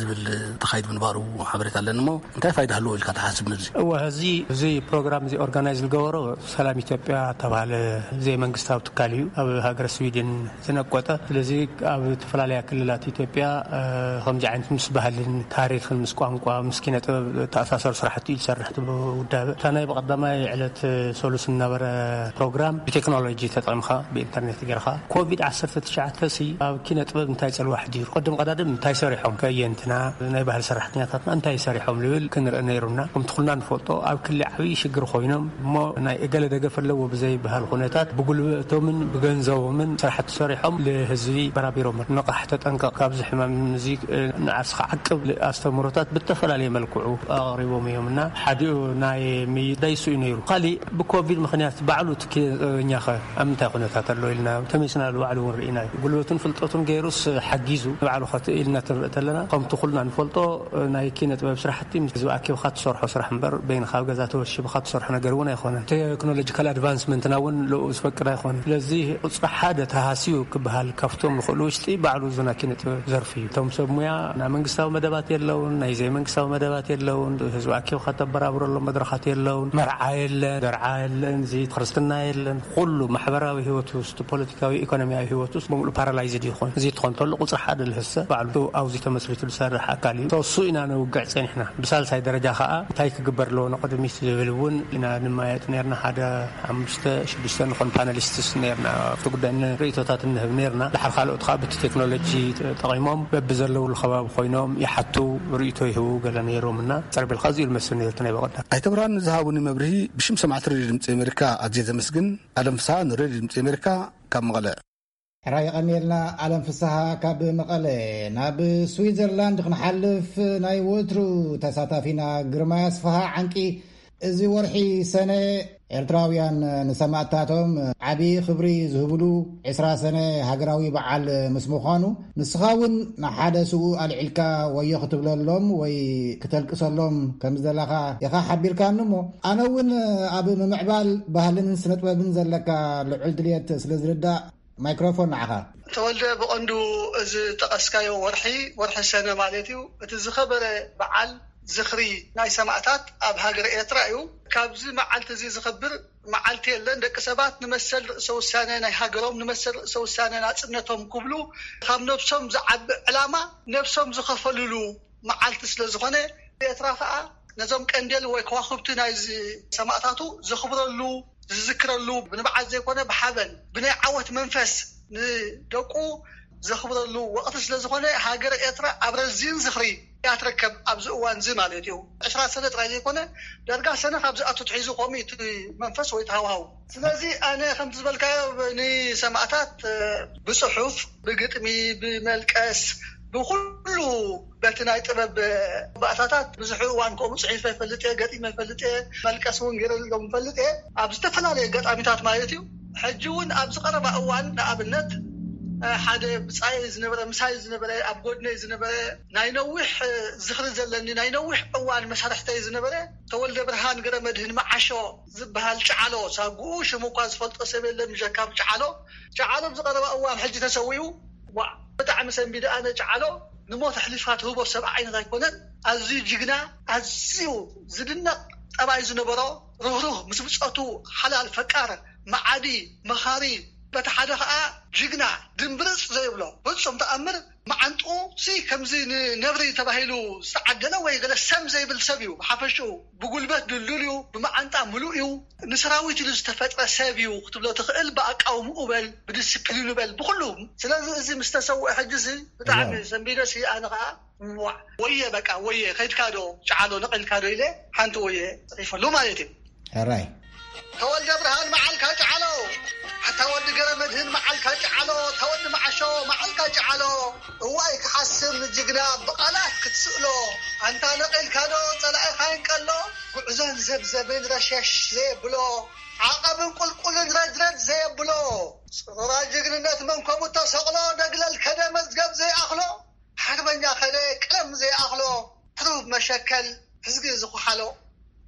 ዝብል ተኻይድ ምንባሩ ሓበሬታ ኣለኒ እሞ እንታይ ፋይዳ ኣለዎ ኢልካ ትሓስብ ነዚ? እወ፣ እዚ፣ እዚ ፕሮግራም እዚ ኦርጋናይዝ ዝገበሮ ሰላም ኢትዮጵያ ተባሃለ ዘይመንግስታዊ ትካል እዩ። ኣብ ሃገረ ስዊድን ዝነቆጠ። ስለዚ ኣብ ዝተፈላለያ ክልላት ኢትዮጵያ ከምዚ ዓይነት ምስ ባህልን ታሪኽን ምስ ቋንቋ ምስ ኪነ ጥበብ ተኣሳሰሩ ስራሕቲ እዩ ዝሰርሕ እቲ ውዳበ። እታ ናይ ብቐዳማይ ዕለት ሰሉስ ዝነበረ ፕሮግራም ብቴክኖሎጂ ተጠቕምካ ብኢንተርኔት ጌርካ ኮቪድ ዓሰርተ ትሽዓተ ሲ ኣብ ኪነ ጥበብ እንታይ ጽልዋ ኣሕዲሩ፣ ቅድም ቀዳድም እንታይ ሰሪሖም ከየንትና ናይ ባህሊ ሰራሕተኛታትና እንታይ ሰሪሖም ልብል ክንርኢ ነይሩና። ከምቲ ኩልና ንፈልጦ ኣብ ክሊ ዓብዪ ሽግር ኮይኖም እሞ ናይ እገለ ደገፍ ኣለዎ ብዘይበሃል ኩነታት ብጉልበቶምን ብገንዘቦምን ስራሕቲ ሰሪሖም ንህዝቢ በራቢሮም። ንቓሕ፣ ተጠንቀቕ፣ ካብዚ ሕማም እዚ ንዓርስኻ ዓቅብ ኣስተምህሮታት ብተፈላለየ መልክዑ ኣቕሪቦም እዮም እና ሓዲኡ ናይ ምይዳይ እሱ እዩ ነይሩ። ካሊእ ብኮቪድ ምኽንያት ባዕሉ እቲ ኪነ ጥበበኛኸ ኣብ ምንታይ ኩነታት ኣሎ ኢልና ተመይስና ባዕሉ እውን ርኢና እዩ። ጉልበቱን ፍልጠቱን ገይሩስ ሓጊዙ ንባዕሉ ከትእ ኢልና ትንርኢ ተለና ከምቲ ኩልና ንፈልጦ ናይ ኪነ ጥበብ ስራሕቲ ምስ ህዝቢ ኣኪብካ ትሰርሖ ስራሕ እምበር በይንኻ ኣብ ገዛ ተወሺብካ ትሰርሖ ነገር እውን ኣይኮነን። ቴክኖሎጂካል ኣድቫንስመንትና እውን ልኡ ዝፈቅድ ኣይኮነን። ስለዚ ቁፅሪ ሓደ ተሃስዩ ክበሃል ካብቶም ዝኽእሉ ውሽጢ ባዕሉ እዚ ናይ ኪነ ጥበብ ዘርፊ እዩ። እቶም ሰብ ሙያ ናይ መንግስታዊ መደባት የለውን፣ ናይ ዘይመንግስታዊ መደባት የለውን፣ ህዝቢ ኣኪብካ ተበራብረሎም መድረኻት የለውን፣ መርዓ የለን፣ ደርዓ የለን፣ እዚ ክርስትና የለን። ኩሉ ማሕበራዊ ህይወት ውስጥ ፖለቲካዊ ኢኮኖሚያዊ ህይወት ውስጥ ብምሉእ ፓራላይዝድ ይኾን። እዚ ትኾን ተሎ ቁፅሪ ሓደ ልህሰ ባዕሉ ኣብዚ ተመስሪቱ ዝሰርሕ ኣካል እዩ። እሱ ኢና ነውግዕ ፀኒሕና። ብሳልሳይ ደረጃ ከዓ እንታይ ክግበር ኣለዎ ንቕድሚት ዝብል እውን ኢና ንመያየጥ ነርና። ሓደ ሓሙሽተ ሽዱሽተ ንኾን ፓነሊስትስ ነርና ኣብቲ ጉዳይ ርእቶታት እንህብ ነርና። ድሓር ካልኦት ከዓ ብቲ ቴክኖሎጂ ጠቒሞም በብዘለውሉ ከባቢ ኮይኖም ይሓቱ፣ ርእቶ ይህቡ ገለ ነይሮም እና ፀርቢልካ እዚኡ ልመስል ነይሩ እቲ ናይ በቐዳ። ኣይተ ብርሃኑ ንዝሃቡኒ መብርሂ ብሽም ሰማዕቲ ሬድዮ ድምፂ ኣሜሪካ ኣዝየ ዘመስግን። ኣለም ፍስሃ ንሬድዮ ድምፂ ኣሜሪካ ካብ መቐለ። ሕራይ የቐንየልና ኣለም ፍስሃ ካብ መቐለ። ናብ ስዊዘርላንድ ክንሓልፍ ናይ ወትሩ ተሳታፊና ግርማይ ኣስፍሃ ዓንቂ እዚ ወርሒ ሰነ ኤርትራውያን ንሰማእታቶም ዓቢ ክብሪ ዝህብሉ ዕስራ ሰነ ሃገራዊ በዓል ምስ ምዃኑ ንስኻ እውን ንሓደ ስኡ ኣልዒልካ ወዮ ክትብለሎም ወይ ክተልቅሰሎም ከም ዝደላኻ ኢኻ ሓቢርካኒ እሞ ኣነ እውን ኣብ ምምዕባል ባህልን ስነጥበብን ዘለካ ልዑል ድልየት ስለ ዝርዳእ ማይክሮፎን ንዓኻ። ተወልደ፣ ብቐንዱ እዚ ጠቐስካዮ ወርሒ፣ ወርሒ ሰነ ማለት እዩ። እቲ ዝኸበረ በዓል ዝኽሪ ናይ ሰማእታት ኣብ ሃገረ ኤርትራ እዩ። ካብዚ መዓልቲ እዚ ዝኽብር መዓልቲ የለን። ደቂ ሰባት ንመሰል ርእሰ ውሳነ ናይ ሃገሮም፣ ንመሰል ርእሰ ውሳነ ናጽነቶም ክብሉ ካብ ነብሶም ዝዓቢ ዕላማ ነብሶም ዝኸፈልሉ መዓልቲ ስለ ዝኾነ፣ ኤርትራ ኸኣ ነዞም ቀንዴል ወይ ከዋኽብቲ ናይዚ ሰማእታቱ ዘኽብረሉ፣ ዝዝክረሉ፣ ብንብዓት ዘይኮነ ብሓበን ብናይ ዓወት መንፈስ ንደቁ ዘኽብረሉ ወቕቲ ስለ ዝኾነ፣ ሃገረ ኤርትራ ኣብ ረዚን ዝኽሪ እያ ትርከብ ኣብዚ እዋን እዚ ማለት እዩ። ዕስራ ሰነ ጥራይ ዘይኮነ፣ ዳርጋ ሰነ ካብ ዝኣቱ ትሒዙ ከምኡ እዩ እቲ መንፈስ ወይ እቲ ሃዋህው። ስለዚ ኣነ ከምቲ ዝበልካዮ ንሰማእታት ብጽሑፍ፣ ብግጥሚ፣ ብመልቀስ፣ ብኹሉ በቲ ናይ ጥበብ ባእታታት ብዙሕ እዋን ከምኡ ጽሒፈ ይፈልጥ እየ፣ ገጢመ ይፈልጥ እየ፣ መልቀስ እውን ገይረሎም ይፈልጥ እየ፣ ኣብ ዝተፈላለየ ኣጋጣሚታት ማለት እዩ። ሕጂ እውን ኣብዚ ቀረባ እዋን ንኣብነት ሓደ ብጻየይ ዝነበረ፣ ምሳይ ዝነበረ፣ ኣብ ጎድነይ ዝነበረ፣ ናይ ነዊሕ ዝኽሪ ዘለኒ፣ ናይ ነዊሕ እዋን መሳርሕተይ ዝነበረ ተወልደ ብርሃን ገረመድህን መዓሾ ዝበሃል ጨዓሎ፣ ሳጉኡ ሽሙ እኳ ዝፈልጦ ሰብ የለን፣ ጀካብ ጨዓሎ። ጨዓሎ ኣብዚ ቀረባ እዋን ሕጂ ተሰዊኡ። ዋዕ፣ ብጣዕሚ ሰንቢደ ኣነ። ጨዓሎ ንሞት ኣሕሊፍካ ትህቦ ሰብ ዓይነት ኣይኮነን። ኣዝዩ ጅግና፣ ኣዝዩ ዝድነቕ ጠባይ ዝነበሮ፣ ርህሩህ፣ ምስ ብጾቱ ሓላል፣ ፈቃር፣ መዓዲ፣ መኻሪ፣ በቲ ሓደ ከዓ ጅግና ድምብርፅ ዘይብሎ ፍፁም ተኣምር፣ መዓንጥኡ ሲ ከምዚ ንነብሪ ተባሂሉ ዝተዓደለ ወይ ገለ ሰም ዘይብል ሰብ እዩ። ብሓፈሽኡ ብጉልበት ድልዱል እዩ፣ ብመዓንጣ ምሉእ እዩ፣ ንሰራዊት ኢሉ ዝተፈጥረ ሰብ እዩ ክትብሎ ትኽእል። ብኣቃውምኡ በል፣ ብዲስፕሊኑ በል፣ ብኩሉ። ስለዚ እዚ ምስ ተሰውአ ሕጂ እዚ ብጣዕሚ ሰንቢደ ሲ ኣነ ከዓ ዋዕ፣ ወየ በቃ ወየ፣ ከይድካ ዶ ጨዓሎ ነቒልካ ዶ ኢለ ሓንቲ ወየ ጽሒፈሉ ማለት እዩ። ሕራይ። ተወልደ ብርሃን መዓልካ ጨዓሎ፣ ኣታ ወዲ ገረ መድህን መዓልካ ጨዓሎ፣ ተወዲ መዓሾ መዓልካ ጨዓሎ። እዋይ ክሓስም ንጅግና ብቓላት ክትስእሎ፣ ኣንታ ነቒልካ ዶ ጸላኢኻ ይንቀሎ። ጉዕዞን ዘብዘብን ረሸሽ ዘየብሎ፣ ዓቐብን ቁልቁልን ረድረድ ዘየብሎ፣ ጽሩራ ጅግንነት መንኮቡ ተሰቕሎ፣ ደግለል ከደ መዝገብ ዘይኣኽሎ። ሓርበኛ ከደ ቀለም ዘይኣኽሎ፣ ሕሩብ መሸከል ሕዝጊ ዝኹሓሎ።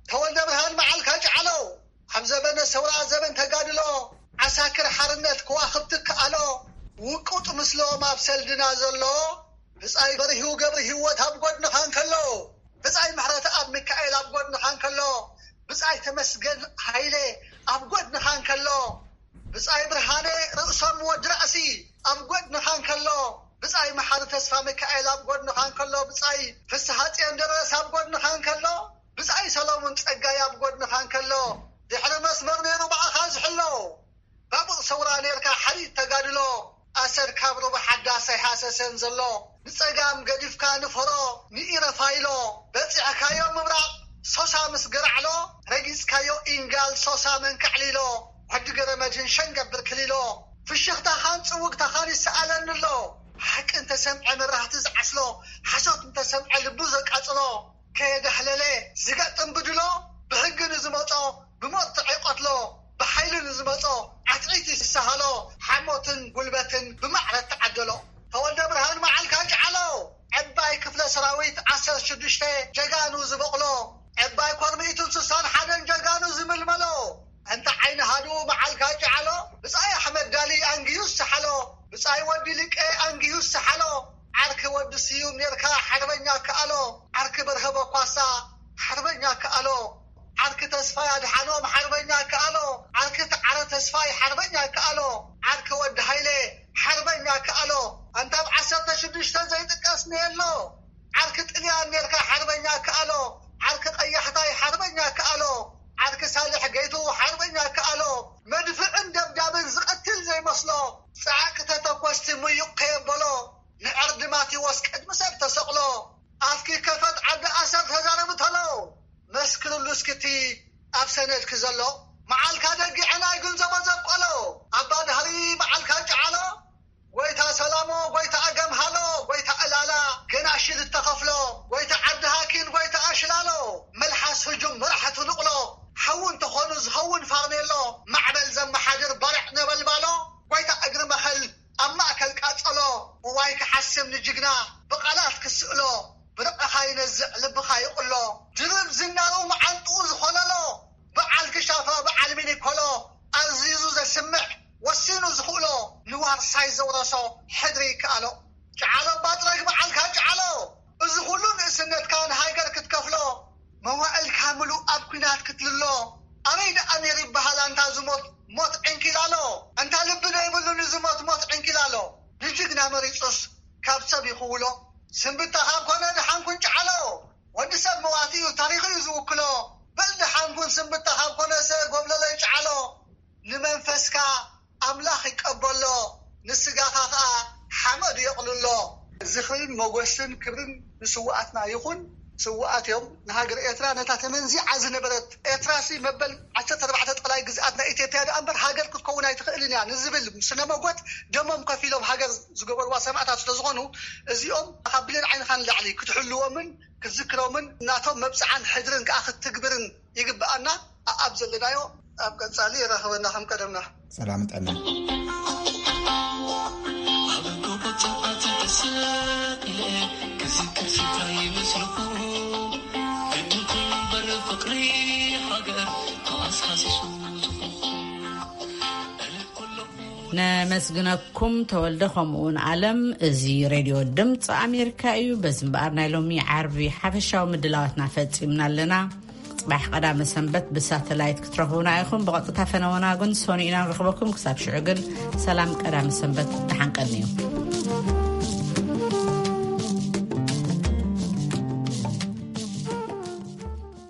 ተወልደ ብርሃን መዓልካ ጨዓሎ፣ ኣብ ዘበነ ሰውራ ዘበን ተጋድሎ፣ ዓሳክር ሓርነት ከዋኽብቲ ከኣሎ፣ ውቁጥ ምስሎም ኣብ ሰልድና ዘሎ፣ ብጻይ በርሂው ገብሪ ህይወት ኣብ ጎድንኻ እንከሎ፣ ብጻይ ምሕረት ኣብ ሚካኤል ኣብ ጎድንኻ እንከሎ፣ ብጻይ ተመስገን ሃይለ ኣብ ጎድንኻ እንከሎ፣ ብጻይ ብርሃነ ርእሶም ወዲ ራእሲ ኣብ ጎድንኻ እንከሎ፣ ብጻይ መሓሪ ተስፋ ሚካኤል ኣብ ጎድንኻ እንከሎ፣ ብጻይ ፍስሃ ጽዮን ደረስ ኣብ ጎድንኻ እንከሎ፣ ብጻይ ሰሎሙን ጸጋይ ኣብ ጎድንኻ እንከሎ፣ ድሕሪ መስመር ነይሩ ብኣኻ ዝሕሎ። ባቡር ሰውራ ኔርካ ሓሪት ተጋድሎ፣ ኣሰር ካብ ሩባ ሓዳስ ኣይሃሰሰን ዘሎ። ንጸጋም ገዲፍካ ንፈሮ፣ ንኢረፋይሎ በጺሕካዮ ምብራቕ፣ ሶሳ ምስ ገራዕሎ ረጊጽካዮ ኢንጋል፣ ሶሳ መንካዕሊሎ፣ ወዲ ገረ መድህን ሸንገብር ክሊሎ። ፍሽኽታኻን ጽውግታኻን ይሰኣለኒ ኣሎ፣ ሓቂ እንተሰምዐ መብራህቲ ዝዓስሎ፣ ሓሶት እንተሰምዐ ልቡ ዘቃጽሎ። ከየዳህለለ ዝገጥም ብድሎ፣ ብሕጊ ንዝመጾ ብመርትዒ ይቐትሎ፣ ብሓይሊ ንዝመጾ ዓትዒት ይስሃሎ፣ ሓሞትን ጉልበትን ብማዕረ ተዓደሎ። ተወልደ ብርሃን መዓልካ ጨዓሎ፣ ዕባይ ክፍለ ሰራዊት ዓሰርተ ሽዱሽተ ጀጋኑ ዝበቕሎ፣ ዕባይ ኮር ሚእትን ስሳን ሓደን ጀጋኑ ዝምልመሎ፣ እንተ ዓይኒ ሃዱ መዓልካ ጨዓሎ፣ ብጻይ ኣሕመድ ዳሊ ኣንግዩ ዝሰሓሎ፣ ብጻይ ወዲ ሊቀ ኣንግዩ ዝሰሓሎ፣ ዓርኪ ወዲ ስዩም ኔርካ ሓርበኛ ከኣሎ፣ ዓርኪ በርሀ በኳሳ ሓርበኛ ከኣሎ፣ ዓርኪ ተስፋይ ኣድሓኖም ሓርበኛ ከኣሎ፣ ዓርኪ ተዓረ ተስፋይ ሓርበኛ ከኣሎ፣ ዓርኪ ወዲ ሃይለ ሓርበኛ ከኣሎ፣ ኣንታ ኣብ ዓሰርተ ሽዱሽተ ዘይጥቀስ ነየሎ። ዓርኪ ጥልያን ኔርካ ሓርበኛ ከኣሎ፣ ዓርኪ ቀያሕታይ ሓርበኛ ከኣሎ፣ ዓርኪ ሳልሕ ገይቱ ሓርበኛ ከኣሎ፣ መድፍዕን ደብዳብን ዝቐትል ዘይመስሎ፣ ጸዓቂ ተተኮስቲ ምዩቕ ከየበሎ፣ ንዕርዲ ማቴዎስ ቅድሚ ሰብ ተሰቕሎ፣ ኣፍኪ ከፈት ዓዲ ኣሰር ተዛረቢ ተሎ፣ መስክርሉ እስክቲ ኣብ ሰነድኪ ዘሎ፣ መዓልካ ደጊዐ ናይ ግንዘቦ ዘብቀሎ፣ ኣባ ድህሪ መዓልካ ጨዓሎ፣ ጎይታ ሰላሞ፣ ጎይታ ኣገምሃሎ፣ ጎይታ ዕላላ፣ ገናሽል እተኸፍሎ፣ ጎይታ ዓዲ ሃኪን፣ ጎይታ ኣሽላሎ፣ መልሓስ ህጁም መራሕቲ ንቕሎ፣ ሓዊ እንተኾኑ ዝኸውን ፋርኔሎ፣ ማዕበል ዘመሓድር ባርዕ ነበልባሎ፣ ጎይታ እግሪ መኸል ኣብ ማእከል ቃጸሎ፣ እዋይ ክሓስም ንጅግና ብቓላት ክስእሎ፣ ብርዕኻ ይነዝዕ ልብኻ ይቕሎ፣ ድርብ ዝናሩ መዓንጥኡ ዝኾለሎ፣ በዓል ክሻፋ በዓል ሚኒኮሎ፣ ኣዚዙ ዘስምዕ ወሲኑ ዝኽእሎ፣ ንዋርሳይ ዘውረሶ ሕድሪ ይከኣሎ። ጨዓሎ ባጥረግ በዓልካ ጨዓሎ፣ እዚ ኩሉ ንእስነትካ ንሃገር ክትከፍሎ፣ መዋእልካ ምሉእ ኣብ ኲናት ክትልሎ፣ ኣበይ ደኣ ነይሩ ይበሃል ኣንታ ዝሞት ሞት ዕንኪላሎ፣ ኣንታ ልቢ ዘይብሉ ንዝሞት ሞት ዕንኪላሎ፣ ንጅግና መሪጹስ ካብ ሰብ ይኽውሎ፣ ስንብታ ካብ ኮነ ድሓን ኩን ጨዓሎ፣ ወዲ ሰብ መዋቲ እዩ ታሪኹ እዩ ዝውክሎ፣ በል ድሓን ኩን ስንብታ ካብ ኮነሰ ጎብለለይ ጨዓሎ፣ ንመንፈስካ ኣምላኽ ይቀበሎ፣ ንስጋኻ ኸኣ ሓመድ የቕልሎ። ዝኽርን መጎስን ክብርን ንስውኣትና ይኹን። ስውኣት እዮም ንሃገር ኤርትራ፣ ነታ ተመንዚዓ ዝነበረት ኤርትራሲ መበል ዓሰርተ ኣርባዕተ ጠላይ ግዝኣት ናይ ኢትዮጵያ ደኣ እምበር ሃገር ክትከውን ኣይትኽእልን እያ ንዝብል ስነ መጎት ደሞም ከፊሎም ሃገር ዝገበርዋ ሰማእታት ስለ ዝኾኑ፣ እዚኦም ካብ ብሌን ዓይንኻ ንላዕሊ ክትሕልዎምን ክትዝክሮምን ናቶም መብጽዓን ሕድርን ከኣ ክትትግብርን ይግብኣና። ኣኣብ ዘለናዮ ኣብ ቀጻሊ የራኽበና ከም ቀደምና። ሰላም ጥዕና። ኣብ ጎቦ ጸልማት ተሰቂለ ክዝክር ስፍራ ይመስልኩ፣ ግድን ኮይኑ እምበር ፍቕሪ ሃገር ተዋሳሲሱ ዝኹንኩ። ነመስግነኩም ተወልደ፣ ከምኡውን ኣለም። እዚ ሬድዮ ድምፂ ኣሜሪካ እዩ። በዚ እምበኣር ናይ ሎሚ ዓርቢ ሓፈሻዊ ምድላዋትና ፈፂምና ኣለና። ጽባሕ ቀዳመ ሰንበት ብሳተላይት ክትረኽቡና ኢኹም። ብቐጥታ ፈነወና ግን ሰኑይ ኢና ንረኽበኩም። ክሳብ ሽዑ ግን ሰላም፣ ቀዳመ ሰንበት ደሓን ቀንዩ።